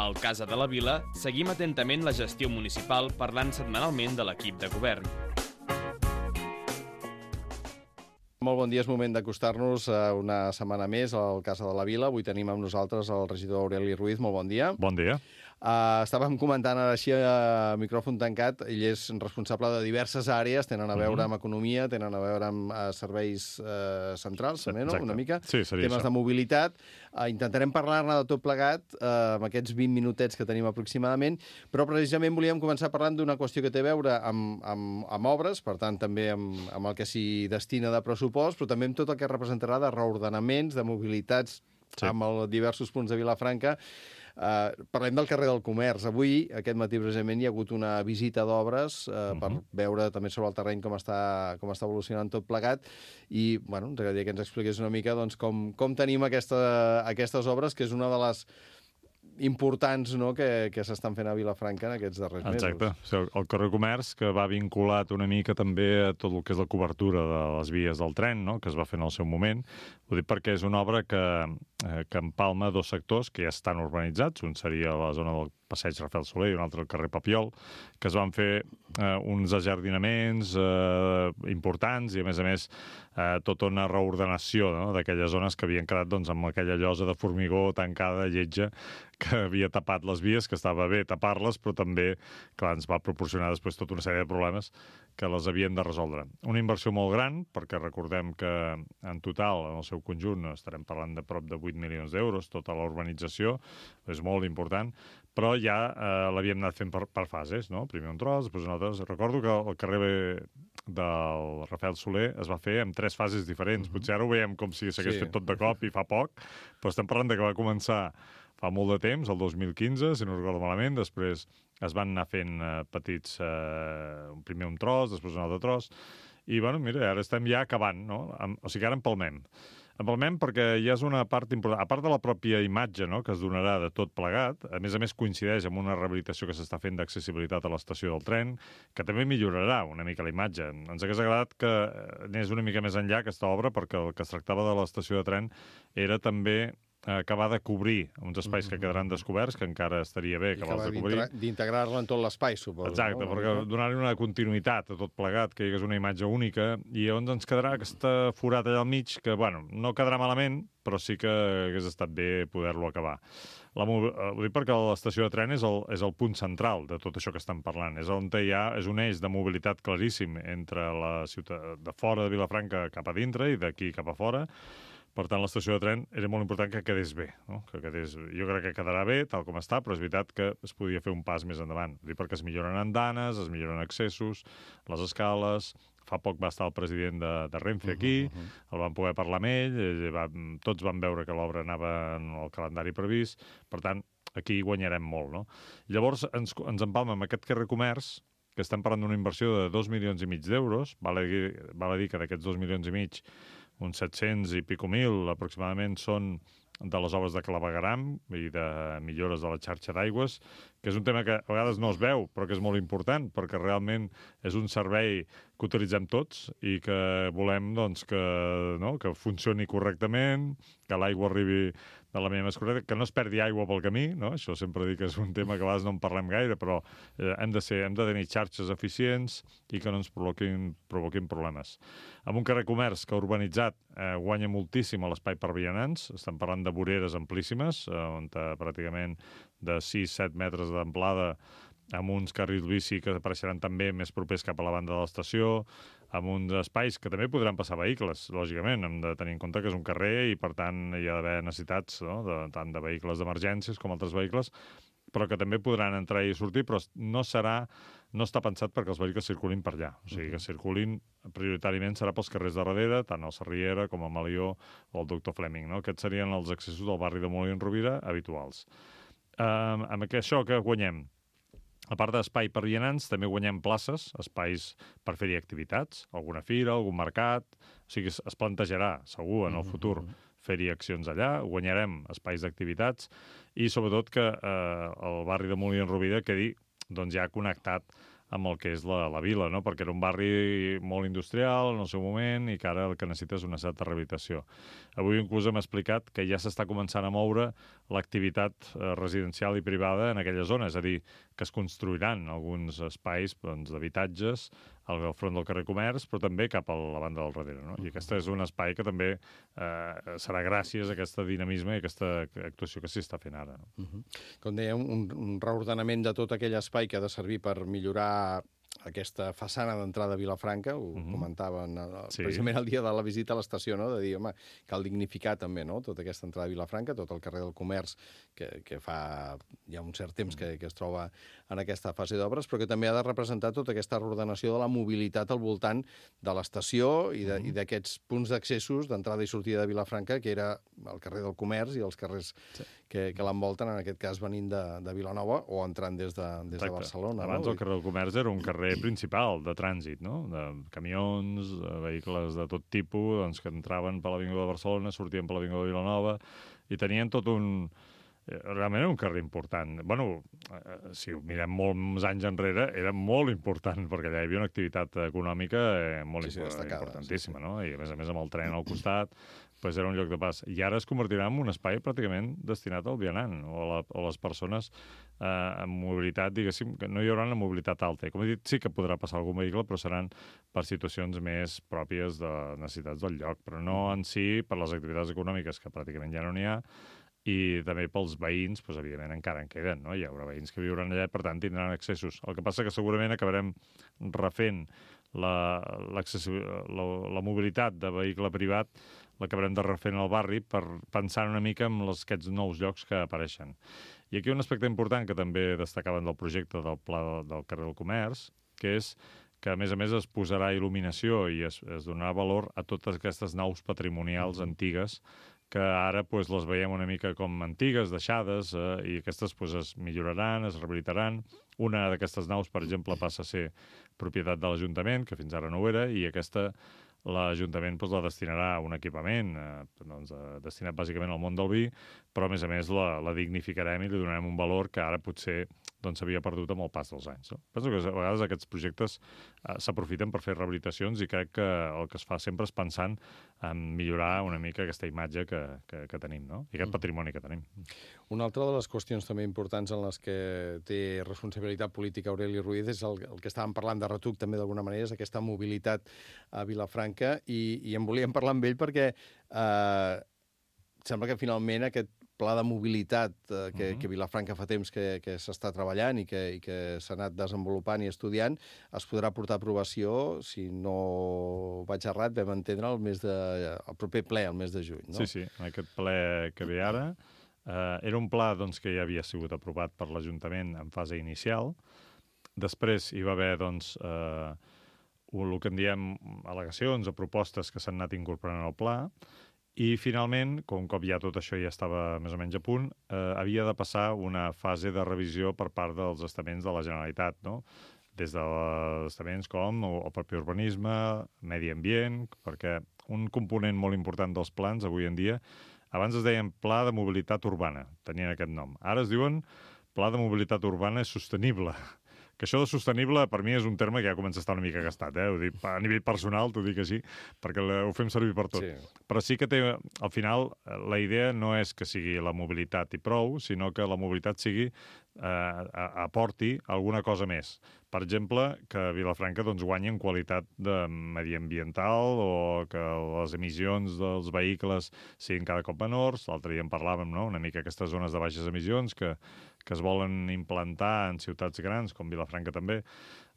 Al Casa de la Vila seguim atentament la gestió municipal parlant setmanalment de l'equip de govern. Molt bon dia, és moment d'acostar-nos una setmana més al Casa de la Vila. Avui tenim amb nosaltres el regidor Aureli Ruiz. Molt bon dia. Bon dia. Estàvem comentant ara així a micròfon tancat. Ell és responsable de diverses àrees, tenen a veure amb economia, tenen a veure amb serveis centrals, també, no? Una mica. Sí, seria temes això. de mobilitat. Intentarem parlar-ne de tot plegat amb aquests 20 minutets que tenim aproximadament, però precisament volíem començar parlant d'una qüestió que té a veure amb obres, per tant també amb el que s'hi destina de pressupost, però també amb tot el que representarà de reordenaments, de mobilitats amb els diversos punts de Vilafranca. Parlem del carrer del Comerç. Avui, aquest matí precisament, hi ha hagut una visita d'obres per veure també sobre el terreny com està evolucionant tot plegat i, bueno, ens agradaria que ens expliqués una mica doncs, com tenim aquestes obres, que és una de les importants, no?, que s'estan fent a Vilafranca en aquests darrers mesos. Exacte. El carrer Comerç, que va vinculat una mica també a tot el que és la cobertura de les vies del tren, no?, que es va fer en el seu moment. Ho dic perquè és una obra que empalma dos sectors que ja estan urbanitzats. Un seria la zona del Passeig Rafael Soler i un altre el carrer Papiol, que es van fer uns ajardinaments importants i, a més, tota una reordenació, no?, d'aquelles zones que havien quedat doncs, amb aquella llosa de formigó tancada, lletja, que havia tapat les vies, que estava bé tapar-les, però també, clar, ens va proporcionar després tota una sèrie de problemes que les havien de resoldre. Una inversió molt gran, perquè recordem que en total, en el seu conjunt, estarem parlant de prop de 8 milions d'euros, tota la urbanització, és molt important, però ja l'havíem anat fent per fases, no? Primer un tros, després un altre. Recordo que el carrer del Rafael Soler es va fer en 3 fases diferents. Potser ara ho veiem com si s'hagués fet tot de cop i fa poc, però estem parlant de que va començar fa molt de temps, el 2015, si no recordo malament, després es van anar fent petits, primer un tros, després un altre tros, i, bueno, mira, ara estem ja acabant, no? O sigui, ara empalmem. Empalmem perquè ja és una part important, a part de la pròpia imatge, no?, que es donarà de tot plegat, a més coincideix amb una rehabilitació que s'està fent d'accessibilitat a l'estació del tren, que també millorarà una mica la imatge. Ens hagués agradat que anés una mica més enllà aquesta obra, perquè el que es tractava de l'estació de tren era també acabar de cobrir uns espais que quedaran descoberts, que encara estaria bé acabar de cobrir. D'integrar-la en tot l'espai, suposo. Exacte, no? perquè donar-li una continuïtat a tot plegat, que hi hagués una imatge única, i llavors ens quedarà aquesta forat allà al mig, que, bueno, no quedarà malament, però sí que hagués estat bé poder-lo acabar. Ho dic perquè l'estació de tren és el punt central de tot això que estem parlant. És on és un eix de mobilitat claríssim entre la ciutat de fora de Vilafranca cap a dintre i d'aquí cap a fora. Per tant, l'estació de tren era molt important que quedés bé, no? Jo crec que quedarà bé, tal com està, però és veritat que es podia fer un pas més endavant. Ho dic perquè es milloren andanes, es milloren accessos, les escales. Fa poc va estar el president de Renfe aquí, el vam poder parlar amb ell, tots van veure que l'obra anava en el calendari previst, per tant, aquí guanyarem molt, no? Llavors, ens empalma amb aquest carrer Comerç, que estem parlant d'una inversió de 2,5 milions d'euros, val a dir que d'aquests 2,5 milions, uns 700 i pico mil aproximadament són de les obres de clavegueram i de millores de la xarxa d'aigües, que és un tema que a vegades no es veu, però que és molt important, perquè realment és un servei que utilitzem tots i que volem doncs, que funcioni correctament, que l'aigua arribi de la manera més correcta, que no es perdi aigua pel camí, no? Això sempre dic que és un tema que a vegades no en parlem gaire, però hem de tenir xarxes eficients i que no ens provoquin problemes. Amb un carrer Comerç que urbanitzat guanya moltíssim a l'espai per vianants, estem parlant de voreres amplíssimes, on pràcticament de 6-7 metres d'amplada, amb uns carrils bici que apareixeran també més propers cap a la banda de l'estació, amb uns espais que també podran passar vehicles, lògicament. Hem de tenir en compte que és un carrer i, per tant, hi ha d'haver necessitats, no?, tant de vehicles d'emergències com altres vehicles, però que també podran entrar i sortir, però no està pensat perquè els vehicles circulin per allà. O sigui, que circulin prioritàriament serà pels carrers de darrere, tant el Sarriera com el Malió o el Doctor Fleming, no? Aquests serien els accessos del barri de Molí en Rovira habituals. Amb això que guanyem? A part d'espai per vianants, també guanyem places, espais per fer-hi activitats, alguna fira, algun mercat. O sigui, es plantejarà, segur, en el futur, fer-hi accions allà, guanyarem espais d'activitats i, sobretot, que el barri de Molí en Rovira quedi doncs, ja connectat amb el que és la vila, no? Perquè era un barri molt industrial en el seu moment i que ara el que necessita és una certa rehabilitació. Avui inclús hem explicat que ja s'està començant a moure l'activitat residencial i privada en aquella zona, és a dir, que es construiran alguns espais d'habitatges al front del carrer Comerç, però també cap a la banda del darrere. No? I aquest és un espai que també serà gràcies a aquest dinamisme i a aquesta actuació que s'hi està fent ara. Com deia, un reordenament de tot aquell espai que ha de servir per millorar aquesta façana d'entrada a Vilafranca, ho comentaven precisament el dia de la visita a l'estació, no? De dir, home, cal dignificar també, no?, tota aquesta entrada a Vilafranca, tot el carrer del Comerç, que fa ja un cert temps que es troba en aquesta fase d'obres, però que també ha de representar tota aquesta reordenació de la mobilitat al voltant de l'estació i d'aquests punts d'accessos d'entrada i sortida de Vilafranca, que era el carrer del Comerç i els carrers que l'envolten, en aquest cas venint de Vilanova o entrant des de Barcelona. Abans el carrer del Comerç era un carrer principal de trànsit, no? De camions, vehicles de tot tipus, doncs, que entraven per l'Avinguda de Barcelona, sortien per l'Avinguda de Vilanova, i tenien tot un... Realment era un carrer important. Bueno, si ho mirem molts anys enrere, era molt important, perquè allà hi havia una activitat econòmica molt importantíssima, no? I a més amb el tren al costat, doncs era un lloc de pas. I ara es convertirà en un espai pràcticament destinat al vianant o a les persones amb mobilitat, diguéssim, que no hi haurà una mobilitat alta. Com he dit, sí que podrà passar algun vehicle, però seran per situacions més pròpies de necessitats del lloc, però no en si per les activitats econòmiques, que pràcticament ja no n'hi ha, i també pels veïns, doncs, evidentment, encara en queden, no? Hi haurà veïns que viuran allà, per tant, tindran accessos. El que passa que segurament acabarem refent la mobilitat de vehicle privat, l'acabarem de refent al barri per pensar una mica en aquests nous llocs que apareixen. I aquí un aspecte important que també destacaven del projecte del Pla del carrer del Comerç, que és que, a més, es posarà il·luminació i es donarà valor a totes aquestes naus patrimonials antigues que ara les veiem una mica com antigues, deixades, i aquestes es milloraran, es rehabilitaran. Una d'aquestes naus, per exemple, passa a ser propietat de l'Ajuntament, que fins ara no ho era, i aquesta l'Ajuntament la destinarà a un equipament destinat bàsicament al món del vi, però a més la dignificarem i li donarem un valor que ara potser s'havia perdut amb el pas dels anys. No? Penso que a vegades aquests projectes s'aprofiten per fer rehabilitacions i crec que el que es fa sempre és pensant en millorar una mica aquesta imatge que tenim, no? I aquest patrimoni que tenim. Una altra de les qüestions també importants en les que té responsabilitat política Aureli Ruiz és el que estàvem parlant de retruc també d'alguna manera, és aquesta mobilitat a Vilafranca, i en volíem parlar amb ell perquè sembla que finalment aquest pla de mobilitat que Vilafranca fa temps que s'està treballant i que s'ha anat desenvolupant i estudiant, es podrà portar a aprovació, si no vaig errat, vam entendre el proper ple, el mes de juny. No? Sí, aquest ple que ve ara era un pla que ja havia sigut aprovat per l'Ajuntament en fase inicial. Després hi va haver el que en diem al·legacions o propostes que s'han anat incorporant al pla. I, finalment, com cop ja tot això ja estava més o menys a punt, havia de passar una fase de revisió per part dels estaments de la Generalitat, no? Des dels estaments com el propi urbanisme, medi ambient, perquè un component molt important dels plans avui en dia, abans es deien Pla de Mobilitat Urbana, tenien aquest nom. Ara es diuen Pla de Mobilitat Urbana Sostenible. Que això de sostenible, per mi, és un terme que ja comença a estar una mica gastat, Ho dic, a nivell personal, t'ho dic així, perquè ho fem servir per tot. Sí. Però sí que té, al final, la idea no és que sigui la mobilitat i prou, sinó que la mobilitat aporti alguna cosa més. Per exemple, que Vilafranca guanyi en qualitat mediambiental o que les emissions dels vehicles siguin cada cop menors. L'altre dia en parlàvem, no? Una mica aquestes zones de baixes emissions que es volen implantar en ciutats grans, com Vilafranca també.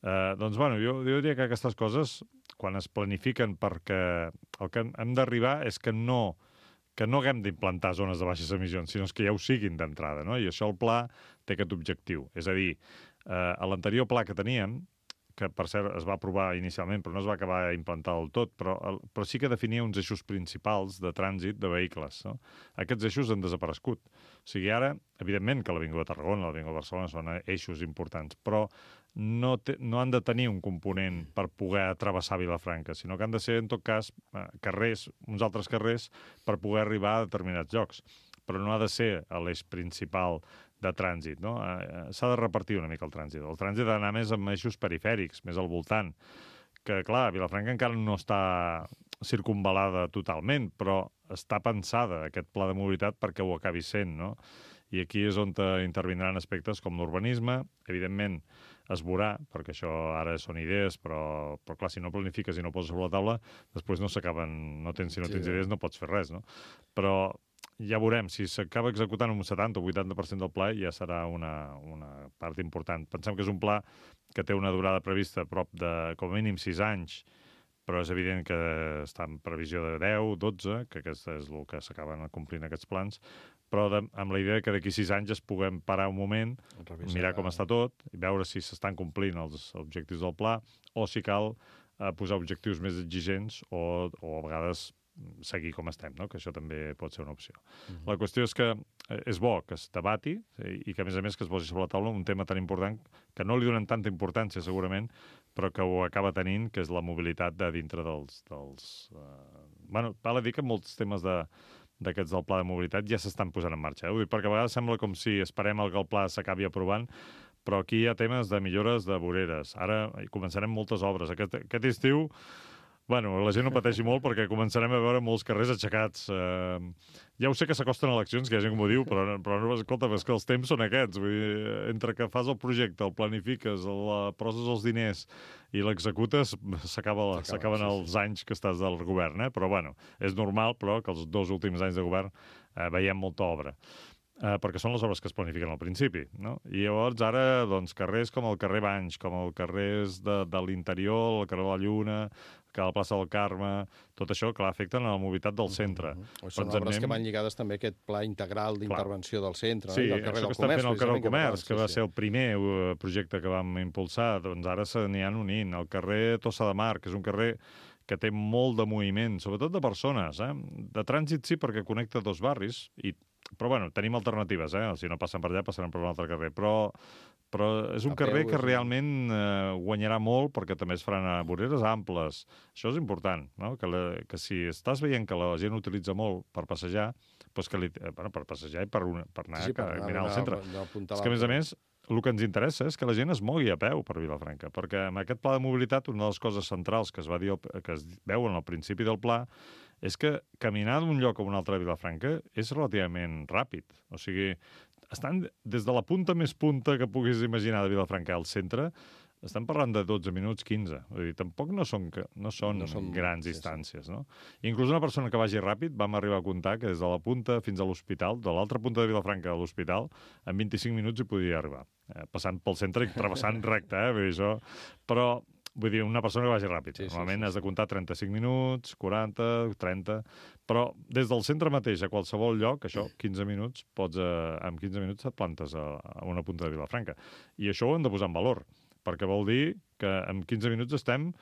Jo diria que aquestes coses, quan es planifiquen, perquè el que hem d'arribar és que no haguem d'implantar zones de baixes emissions, sinó que ja ho siguin d'entrada, no? I això el pla té aquest objectiu. És a dir, a l'anterior pla que teníem, que per cert es va aprovar inicialment, però no es va acabar d'implantar del tot, però sí que definia uns eixos principals de trànsit de vehicles. No? Aquests eixos han desaparegut. O sigui, ara, evidentment que l'Avinguda de Tarragona, l'Avinguda de Barcelona són eixos importants, però no han de tenir un component per poder travessar Vilafranca, sinó que han de ser, en tot cas, carrers, uns altres carrers, per poder arribar a determinats llocs. Però no ha de ser l'eix principal de trànsit, no? S'ha de repartir una mica el trànsit. El trànsit ha d'anar més amb eixos perifèrics, més al voltant, que, clar, Vilafranca encara no està circunvalada totalment, però està pensada aquest pla de mobilitat perquè ho acabi sent, no? I aquí és on intervindran aspectes com l'urbanisme. Evidentment, es veurà, perquè això ara són idees, però clar, si no planifiques i no poses sobre la taula, després no s'acaben, si no tens idees no pots fer res, no? Però ja veurem, si s'acaba executant un 70 o 80% del pla ja serà una part important. Pensem que és un pla que té una durada prevista a prop de, com a mínim, 6 anys, però és evident que està en previsió de 10, 12, que aquest és el que s'acaben complint aquests plans, però amb la idea que d'aquí 6 anys es puguem parar un moment, mirar com està tot, i veure si s'estan complint els objectius del pla, o si cal posar objectius més exigents o a vegades seguir com estem, no? Que això també pot ser una opció. La qüestió és que és bo que es debati i que, a més que es posi sobre la taula un tema tan important que no li donen tanta importància, segurament, però que ho acaba tenint, que és la mobilitat de dintre dels... Bueno, val a dir que molts temes d'aquests del pla de mobilitat ja s'estan posant en marxa. Ho dic perquè a vegades sembla com si esperem que el pla s'acabi aprovant, però aquí hi ha temes de millores de voreres. Ara començarem moltes obres. Aquest estiu, bueno, la gent no pateixi molt perquè començarem a veure molts carrers aixecats. Ja ho sé que s'acosten eleccions, que hi ha gent que m'ho diu, però escolta, és que els temps són aquests. Vull dir, entre que fas el projecte, el planifiques, poses els diners i l'executes, s'acaben els anys que estàs del govern, Però, bueno, és normal, però, que els 2 últims anys de govern veiem molta obra. Perquè són les obres que es planifiquen al principi, no? I llavors ara, doncs, carrers com el carrer Banys, com el carrers de l'interior, el carrer de la Lluna, que a la plaça del Carme, tot això, clar, afecten a la mobilitat del centre. Són obres que van lligades també a aquest pla integral d'intervenció del centre, sí, del carrer del Comerç. Sí, això que estan fent al carrer del Comerç, que va ser el primer projecte que vam impulsar, doncs ara se n'hi han unint. El carrer Tossa de Mar, que és un carrer que té molt de moviment, sobretot de persones, De trànsit sí, perquè connecta 2 barris, però, bueno, tenim alternatives, Si no passen per allà, passaran per un altre carrer. Però és un carrer que realment guanyarà molt perquè també es faran voreres amples. Això és important, no? Que si estàs veient que la gent utilitza molt per passejar, doncs per passejar i per anar a mirar al centre. És que, a més, el que ens interessa és que la gent es mogui a peu per Vilafranca, perquè amb aquest pla de mobilitat una de les coses centrals que es veuen al principi del pla és que caminar d'un lloc a un altre de Vilafranca és relativament ràpid. O sigui, estan des de la punta més punta que puguis imaginar de Vilafranca al centre, estan parlant de 12 minuts, 15. Vull dir, tampoc no són grans distàncies, no? Inclús una persona que vagi ràpid, vam arribar a comptar que des de la punta fins a l'hospital, de l'altra punta de Vilafranca a l'hospital, en 25 minuts hi podia arribar. Passant pel centre i travessant recte, vull dir, això... Però... Vull dir, una persona que vagi ràpid. Normalment has de comptar 35 minuts, 40, 30... Però des del centre mateix a qualsevol lloc, això, 15 minuts, en 15 minuts et plantes a una punta de Vilafranca. I això ho hem de posar en valor, perquè vol dir que en 15 minuts estem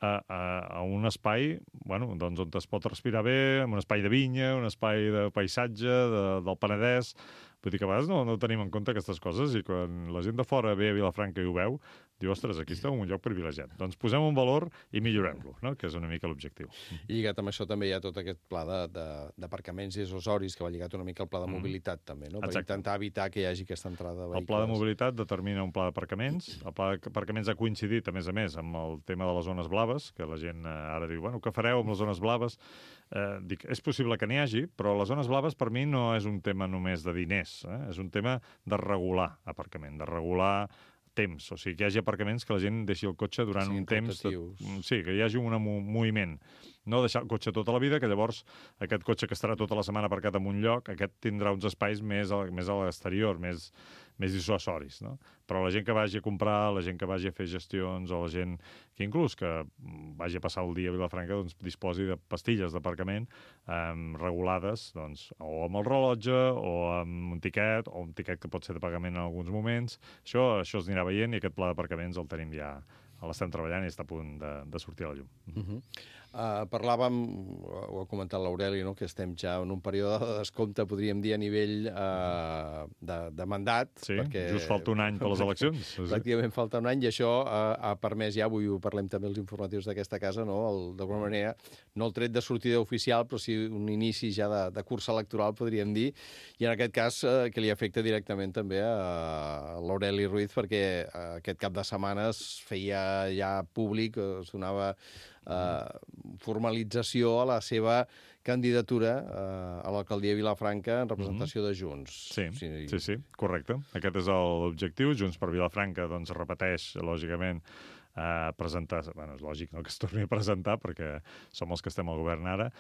a un espai, bueno, doncs on es pot respirar bé, un espai de vinya, un espai de paisatge, del Penedès. Vull dir que a vegades no tenim en compte aquestes coses i quan la gent de fora ve a Vilafranca i ho veu, diu, ostres, aquí estem en un lloc privilegiat. Doncs posem un valor i millorem-lo, no? Que és una mica l'objectiu. I lligat amb això també hi ha tot aquest pla d'aparcaments i accessoris que va lligat una mica al pla de mobilitat també, no? Per intentar evitar que hi hagi aquesta entrada de vehicles. El pla de mobilitat determina un pla d'aparcaments. El pla d'aparcaments ha coincidit, a més, amb el tema de les zones blaves, que la gent ara diu, bueno, què fareu amb les zones blaves? Dic, és possible que n'hi hagi, però les zones blaves per mi no és un tema només de diners, és un tema de regular aparcament, de regular temps, o sigui, que hi hagi aparcaments que la gent deixi el cotxe durant un temps... Sí, que hi hagi un moviment. No deixar el cotxe tota la vida, que llavors aquest cotxe que estarà tota la setmana aparcat en un lloc, aquest tindrà uns espais més a l'exterior, més dissuasoris, no? Però la gent que vagi a comprar, la gent que vagi a fer gestions, o la gent que inclús que vagi a passar el dia a Vilafranca, doncs disposi de pastilles d'aparcament regulades, doncs, o amb el rellotge, o amb un tiquet, o un tiquet que pot ser de pagament en alguns moments. Això es anirà veient i aquest pla d'aparcaments el tenim ja, l'estem treballant i està a punt de sortir a la llum. Parlàvem, ho ha comentat l'Aureli, no? Que estem ja en un període de descompte, podríem dir, a nivell de mandat. Sí, perquè, just falta un any per les eleccions. Pràcticament falta un any, i això ha permès ja, avui ho parlem també als informatius d'aquesta casa, no? D'alguna manera, no el tret de sortida oficial, però sí un inici ja de cursa electoral, podríem dir, i en aquest cas que li afecta directament també a l'Aureli Ruiz, perquè aquest cap de setmana es feia ja públic, sonava formalització a la seva candidatura a l'alcaldia de Vilafranca en representació de Junts. Sí, correcte. Aquest és l'objectiu. Junts per Vilafranca doncs repeteix, lògicament, presentar... Bueno, és lògic, no?, que es torni a presentar, perquè som els que estem al govern ara,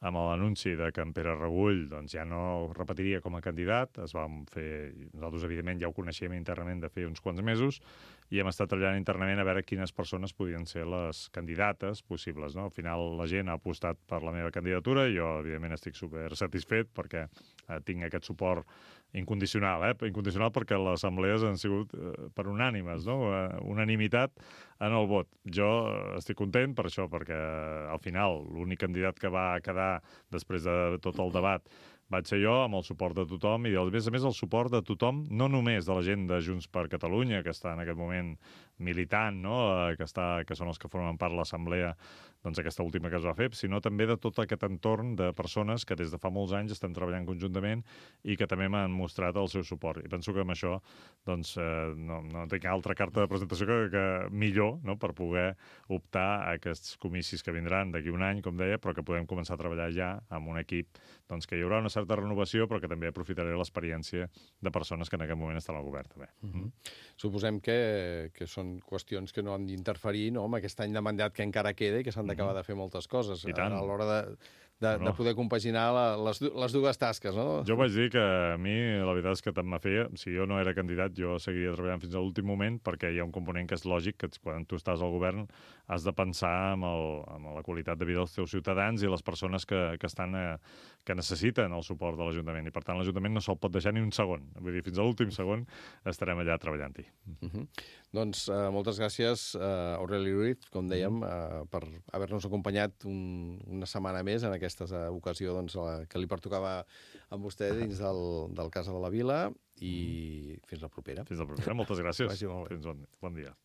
amb l'anunci de que en Pere Regull doncs, ja no repetiria com a candidat. Nosaltres, evidentment, ja ho coneixíem internament de fer uns quants mesos, i hem estat treballant internament a veure quines persones podien ser les candidates possibles, no? Al final, la gent ha apostat per la meva candidatura, i jo, evidentment, estic super satisfet perquè tinc aquest suport incondicional, incondicional perquè les assemblees han sigut per unànimes, no? Unanimitat en el vot. Jo estic content per això, perquè al final l'únic candidat que va quedar després de tot el debat vaig ser jo, amb el suport de tothom, i a més el suport de tothom, no només de la gent de Junts per Catalunya, que està en aquest moment militant, no?, que són els que formen part de l'assemblea, doncs aquesta última que es va fer, sinó també de tot aquest entorn de persones que des de fa molts anys estan treballant conjuntament i que també m'han mostrat el seu suport. I penso que amb això doncs, no tinc altra carta de presentació que millor, no?, per poder optar a aquests comicis que vindran d'aquí un any, com deia, però que podem començar a treballar ja amb un equip doncs, que hi haurà una certa renovació, però que també aprofitaré l'experiència de persones que en aquest moment estan al govern, també. Suposem que són qüestions que no han d'interferir, no?, amb aquest any de mandat que encara queda i que s'han d'acabar de fer moltes coses a l'hora de poder compaginar les dues tasques, no? Jo vaig dir que a mi la veritat és que tant me feia. Si jo no era candidat, jo seguiria treballant fins a l'últim moment, perquè hi ha un component que és lògic, que quan tu estàs al govern has de pensar en la qualitat de vida dels teus ciutadans i les persones que necessiten el suport de l'Ajuntament. I, per tant, l'Ajuntament no se'l pot deixar ni un segon. Vull dir, fins a l'últim segon estarem allà treballant-hi. Doncs moltes gràcies, Aureli Ruiz, com dèiem, per haver-nos acompanyat una setmana més en aquesta ocasió que li pertocava amb vostè dins del Casa de la Vila, i fins la propera. Fins la propera. Moltes gràcies. Vagi molt bé. Fins bon dia.